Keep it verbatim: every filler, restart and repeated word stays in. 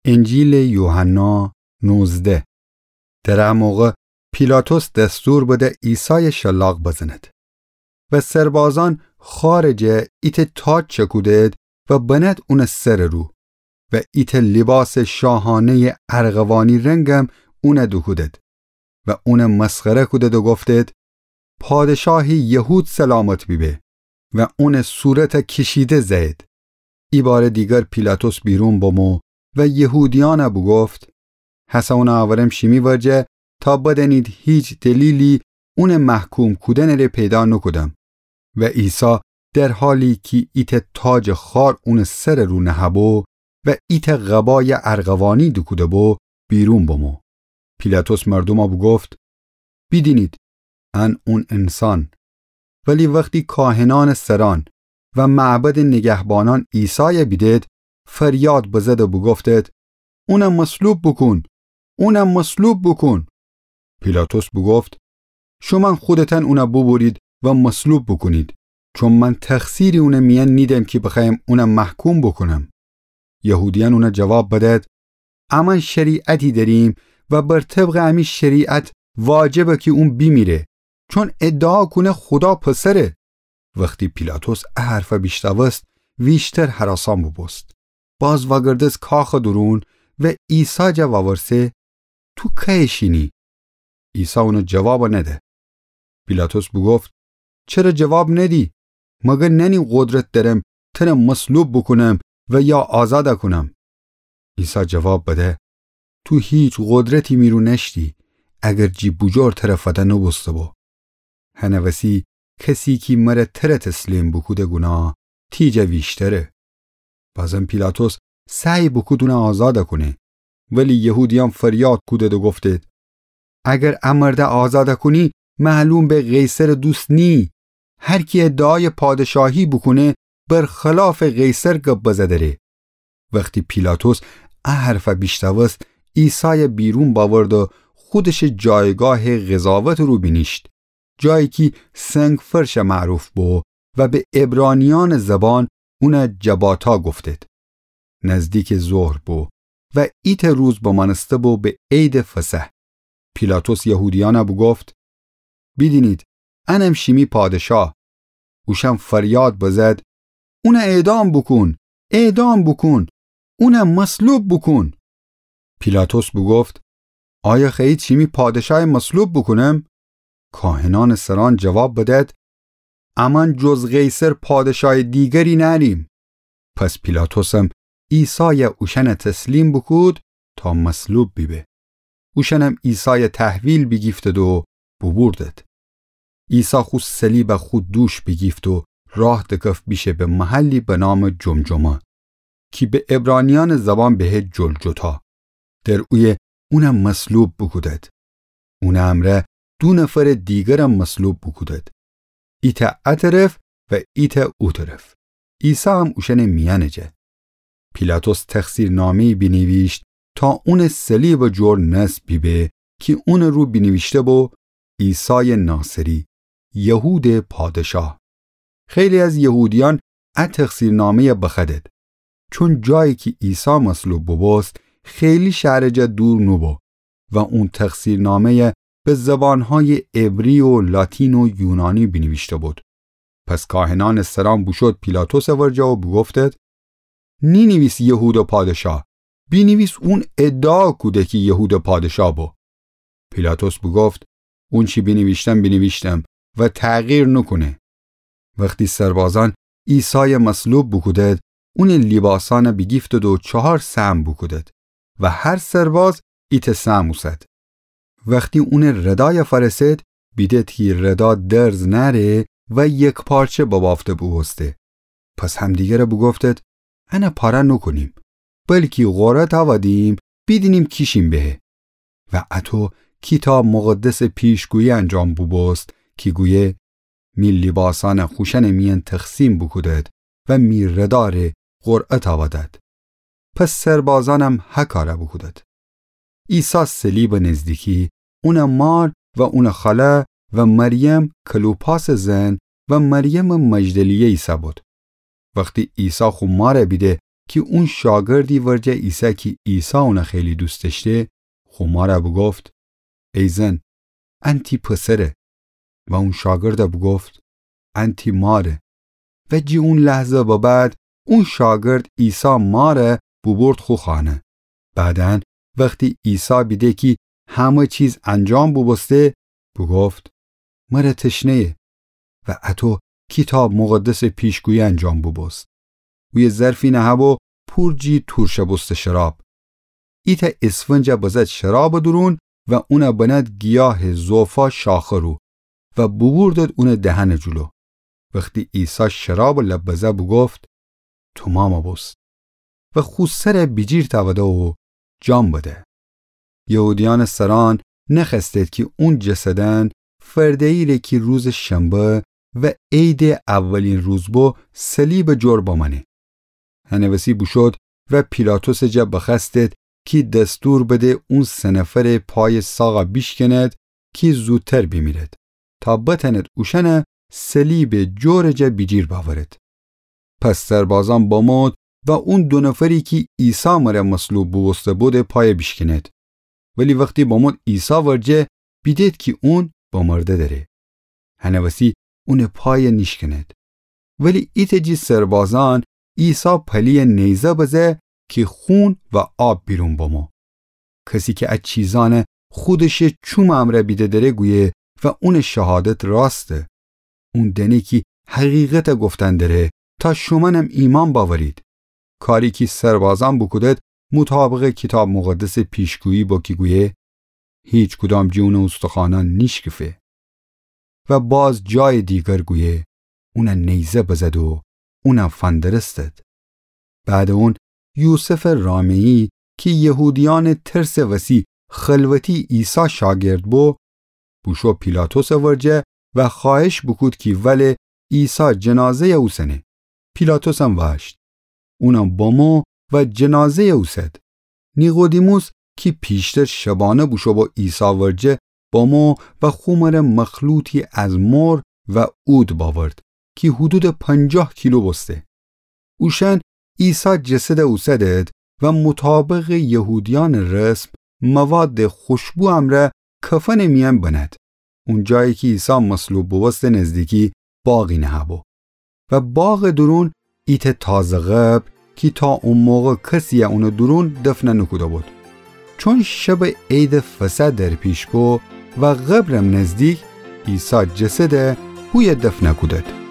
انجیلٚ یوحنا نوزده. در ا موقع پیلاطس دستور بده عیسایَ شلاق بزند. و سربازأن خوأرٚ جا ایتأ تاج چکودد و بنأد اونٚ سرٚ رو و ایتأ لیباسٚ شاهانه‌یٚ ارغوانی رنگم اونَ دوکودد و اونَ مسخره کودد و گفتد: پادشاهٚ یهود سلامت بیبه. و اونٚ صورتَ کیشیده زأیید. ایبارٚ دیگر پیلاطس بیرون بمو و یهودیأنَ بوگفت: هسه اونَ آورم شیمی ورجه تا بدأنید هیچ دلیلی اونٚ محکوم کودنٚ ره پیدا نوکودم. و عیسی در حالی کی ایتأ تاجٚ خوأر اونٚ سرٚ رو نهه‌بو و ایتأ قبایٚ ارغوانی دوکوده‌بو، بیرون بمو. پیلاطس مردومَ بوگفت: بیدینید، ان اون انسان. ولی وختی کاهنأنٚ سرأن و معبدٚ نگهبانأن عیسایَ بیدید، فریاد بزد و بوگفتد: اونَ مصلوب بوکون! اونَ مصلوب بوکون! پیلاطس بوگفت: شومأن خودتأن اونَ بوبورید و مصلوب بوکونید، چون من تقصیری اونٚ میأن نیدم کی بخوأیم اونَ محکوم بوکونم. یهودیأن اونَ جواب بدأد: امأن شریعتی دأریم و بر طبقٚ امی شریعت واجبه کی اون بیمیره، چون ادعا کونه خودا پسره. وختی پیلاطس ا حرفَ بیشنوست، ویشتر هراسأن بوبوست. باز وأگردست کاخٚ دورون و عیسی جا وأورسه: تو کیه شینی؟ عیسی اونَ جواب نده. پیلاطس بوگفت: چره جواب ندی؟ مگر نأنی قدرت دأرم تره مصلوب بوکونم و یا آزادَ کونم؟ عیسی جواب بده: تو هیچ قدرتی می رو نأشتی، اگر جی بوجور تره فده نوبوسته‌بو. هنٚ وسی کسی کی مره تره تسلیم بوکوده گوناه تی جا ویشتره. بازم پیلاطس سعی بوکود اونَ آزادَ کونه، ولی یهودیأن فریاد کودد و گفتد: اگر ا مردَ آزادَ کونی، معلوم به قیصرٚ دوست نیی. هر کی ادعایٚ پادشاهی بوکونه، بر خلافٚ قیصر گب بزه دره. وختی پیلاطس ا حرفَ بیشنوست، عیسایَ بیرون بأورد و خودشٚ جایگاهٚ قضاوتٚ رو بینیشت، جایی کی سنگ‌فرشَ معروف بو و به عبرانیأنٚ زبان اونَ جباتا گفتد. نزدیکٚ ظهر بو و ایتأ روز بمأنسته‌بو به عیدٚ فصح. پیلاطس یهودیأنَ بوگفت: بیدینید، انم شیمی پادشاه. اوشأن فریاد بزد: اونَ اعدام بوکون! اعدام بوکون! اونَ مصلوب بوکون! پیلاطس بوگفت: آیا خوأیید شیمی پادشایَ مصلوب بوکونم؟ کاهنأنٚ سرأن جواب بدد: امأن جز قیصر پادشایٚ دیگری نأریم. پس پیلاطسم عیسایَ اوشأنَ تسلیم بوکود تا مصلوب بیبه. اوشأنم عیسایَ تحویل بیگیفتد و بوبوردد. عیسی خو صلیبَ خو دوش بیگیفت و راه دکفت بیشه به محلی به نامٚ جمجمه، کی به عبرانیأنٚ زبان بهه جلجتا. در اویه اونَ مصلوب بوکودد. اونٚ امرأ دو نفرٚ دیگرم مصلوب بوکودد، ایتأ ا طرف و ایتأ او طرف. عیسی هم اوشأنٚ میأنٚ جه. پیلاطس تقصیرنامه‌یی بینیویشت تا اونٚ صلیبٚ جور نصب بیبه، کی اونٚ رو بینیویشته‌بو: عیسایٚ ناصری، یهودٚ پادشاه. خیلی از یهودیأن ا تقصیرنامه‌یَ بخوأدد، چون جایی کی عیسی مصلوب بوبوست، خیلی شهرٚ جا دور نوبو و اون تقصیرنامه‌یَ به زبانهایٚ عبری و لاتین و یونانی بینیویشته‌بود. پس کاهنأنٚ سرأن بوشود پیلاطسٚ ورجه و بوگفتد: نینیویس یهودٚ پادشاه، بینیویس اون ادعا کوده کی یهودٚ پادشاه بو. پیلاطس بوگفت: اونچی بینیویشتم، بینیویشتم و تغییر نوکونه. وختی سربازأن عیسایَ مصلوب بوکودد، اونٚ لیباسأنَ بیگیفتد و چهار سهم بوکودد و هر سرباز ایتأ سهم اوسد. وختی اونٚ ردایَ فأرسد، بیدد کی ردا درز نأره و یکپارچه ببافته بوبوسته. پس همدیگرَ بوگفتد: انَ پاره نوکونیم، بلکی قرعه تأودیم، بیدینیم کی شین بهه. و اطو کیتاب مقدسٚ پیشگویی انجام بوبوست کی گویه: می لیباسأنَ خوشأنٚ میأن تقسیم بوکودد و می ردا ره قرعه تأودد. پس سربازأنم هه کارَ بوکودد. عیسی صلیبٚ نزدیکی، اونٚ مار و اونٚ خاله و مریم کلوپاسٚ زن و مریمٚ مجدلیه ایسه‌بود. وختی عیسی خو مارَ بیده کی اون شاگردی ورجه ایسه کی عیسی اونه خیلی دوست دأشته، خو ماره بوگفت: ای زن، ان تی پسره. و اون شاگرده بوگفت: ان تی ماره. و جی اون لحظه به بعد اون شاگرد عیسی ماره بوبرد خو خانه. بعداً وختی عیسی بیده کی همه چیز انجام بوبوسته، بوگفت: مره تشنه‌یه. و اطو کیتاب مقدسٚ پیشگویی انجام بوبوست. اویه ظرفی نهه‌بو پور جی تورشه بوسته شراب. ایتأ اسفنجه بزد شرابٚ دورون و اونه بند گیاهٚ زوفا شاخه رو و بوبوردد اونٚ دهنٚ جلو. وختی عیسی شرابٚ لب بزه بوگفت: تومامه بوست. و خو سره بیجیر تأوده و جان بده. یهودیأنٚ سرأن نخوأستد کی اون جسدأن فرده‌ییره کی روزٚ شنبه و عیدٚ اولین روز بو صلیبٚ جور بمأنه. هنٚ وسی بوشود و پیلاطسٚ جا بخوأستد کی دستور بده اون سه نفرٚ پایٚ ساغا بیشکند کی زودتر بیمیرد، تا بتأند اوشأنه صلیبٚ جورٚ جا بیجیر بأورد. پس سربازأن بمود و اون دو نفری کی عیسی مره مصلوب بوبوسته بودٚ پای بیشکند. ولی وختی بمود عیسی ورجه، بیدید کی اون بمرده دره. هنٚ وسی اونٚ پای نیشکند. ولی ایتأ جی سربازأن عیسی پلی‌یه نیزه بزه کی خون و آب بیرون بمو. کسی کی ا چیزأنه خودشٚ چومٚ امرأ بیده دره گویه و اونٚ شهادت راسته. اون دأنه کی حقیقته گفتن دره تا شومأنم ایمأن بأورید. کاری کی سربازأن بوکودد مطابقٚ کیتاب مقدسٚ پیشگویی بو کی گویه: هیچکدام جی اونٚ اوستخوأنأن نیشکفه. و باز جایٚ دیگر گویه: اونه نیزه بزد و اونه فندرستد. بعدٚ اون یوسفٚ رامه‌یی کی یهودیأنٚ ترسٚ وسی خلوتی عیسی شاگرد بو، بوشو پیلاطسٚ ورجه و خوأهش بوکود کی وله عیسی جنازه‌یه اوسنه. پیلاطسم وأشت. اونم بمو و جنازه‌یه اوسد. نیقودیموس کی پیشتر شبانه بوشو بو عیسی ورجه، بمو و خو مره مخلوطی از مر و عود بأورد کی حدودٚ پنجاه کیلو بوسته. اوشأن عیسی جسده اوسدد و مطابقٚ یهودیأنٚ رسم موادٚ خوشبو امرأ کفنٚ میأن بند. اون جایی کی عیسی مصلوب بوبوسته نزدیکی باغی نهه‌بو. و باغٚ دورون ایتأ تازه قبر کی تا او موقع کسی‌یه اونٚ دورون دفنه نوکوده‌بود. چون شبٚ عیدٚ فصح درپیش بو و قبرم نزدیک، عیسی جسده هویه دفنه کودد.